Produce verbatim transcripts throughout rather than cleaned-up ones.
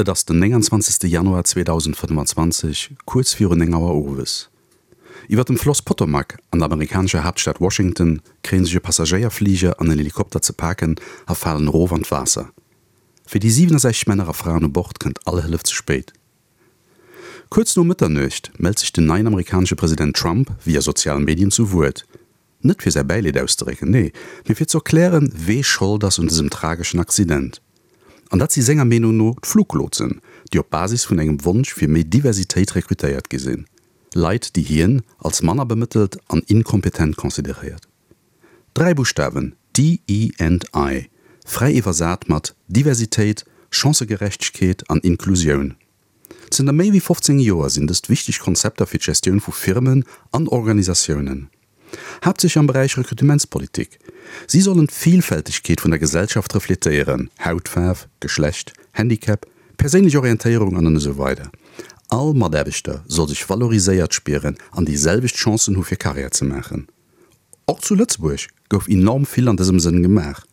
Et ass den nénganzwanzegste Januar zweedausendfënnefanzwanzeg, kuerz virun néng Auer owes. Iwwer dem Floss Potomac an der amerikanescher Haaptstad Washington kréien sech e Passagéierfliger an en Helikopter ze paken a falen erof an d'Waasser. Fir déi siwenundsechzeg Männer a Fraen u Bord kënnt all Hëllef ze spéit. Kuerz no Mëtternuecht mellt sech den neien amerikanesche President Trump via sozial Medien zu Wuert. Net fir säi Bäileed auszedrécken, nee, mee fir ze erklären, wee Schold ass un dësem trageschen Accident. An dat si senger Meenung no d'Fluglotsen, déi op Basis vun engem Wonsch fir méi Diversitéit rekrutéiert gi sinn. Leit, déi hien als manner bemëttelt an inkompetent consideréiert. Dräi Buschtawen, D E and I, fräi iwwersat mat Diversitéit, Chancëgerechtegkeet an Inklusioun. Zënter méi wéi fofzéng Joer sinn dëst wichteg Konzepter fir d'Gestioun vu Firmen an Organisatiounen. Haaptsächlech am Beräich Rekrutementspolitik. Si sollen d'Vilfältegkeet vun der Gesellschaft refletéieren, Hautfaarf, Geschlecht, Handicap, perséinlech Orientéierung an esou weider All Mataarbechter soll sech valoriséiert spieren an déi selwecht Chancen hu fir Karriär ze maachen. Och zu Lëtzebuerg gouf enorm vill an dësem Sënn gemaach.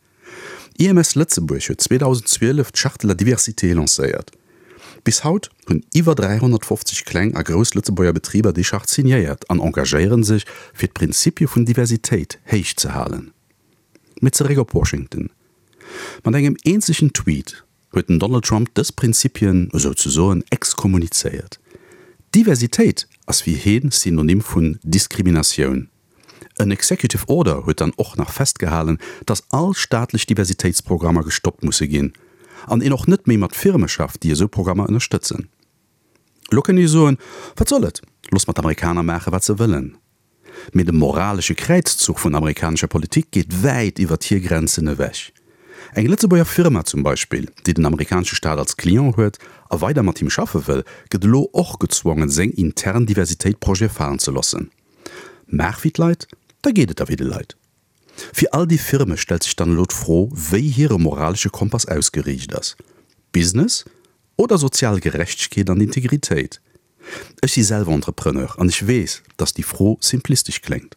I M S Lëtzebuerg huet zweedausendzwielef d'Charte de la diversité lancéiert. Bis haut hunn iwwer dräihonnertfofzeg kleng a grouss Lëtzebuerger Betriber déi Charte signéiert an engagéiere sech, fir d'Prinzipie vun Diversitéit héich ze halen. Mee zeréck op Washington. Mat engem eenzegen Tweet huet den Donald Trump dës Prinzipien esouzesoen exkommunizéiert. Diversitéit ass fir hien Synonym vun Diskriminatioun. En Executive Order huet dann och nach festgehalen, dass all staatlech Diversitéitsprogrammer gestoppt musse ginn an een och net méi mat Firme schafft, déi esou Programmer ënnerstëtzen. Elo kënnt Dir soen, Wat soll et, looss mer d'Amerikaner maache wat se wëllen. Mee de moralesche Kräizzuch vun der amerikanescher Politik geet wäit iwwert hir Grenzen ewech. Eng Lëtzebuerger Firma zum Beispill, déi den amerikanesche Staat als Client huet a weider mat him schaffe wëll, gëtt elo och gezwongen, seng intern Diversitéitprojete falen ze loossen. Maach wéi d'Leit, da geet et der wéi de Leit. Fir all déi Firme stellt sech dann elo d'Fro, wéi hire moralesche Kompass ausgeriicht ass, Business oder sozial Gerechtegkeet an Integritéit? Ech si selwer Entrepreneur an ech weess, dass déi Fro simplistesch kléngt.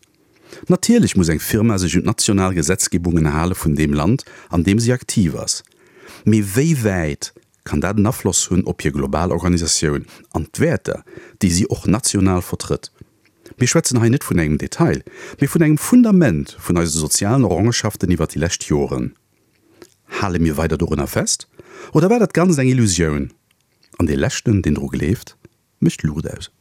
Natierlech muss eng Firma sech un d'national Gesetzgebungen hale vun deem Land, an deem si aktiv ass. Mee wéi wäit kann dat en Afloss hunn op hir global Organisatioun an d'Wäerter, déi si och national vertrëtt? Mir schwätzen hei net vun engem Detail, mee vun engem Fundament vun eise sozialen Errongenschaften iwwert déi lescht Joren. Hale mir weider dorunner fest? Oder war dat Ganzt eng Illusioun? An dee Leschten, deen dru gleeft, mécht d'Luucht aus.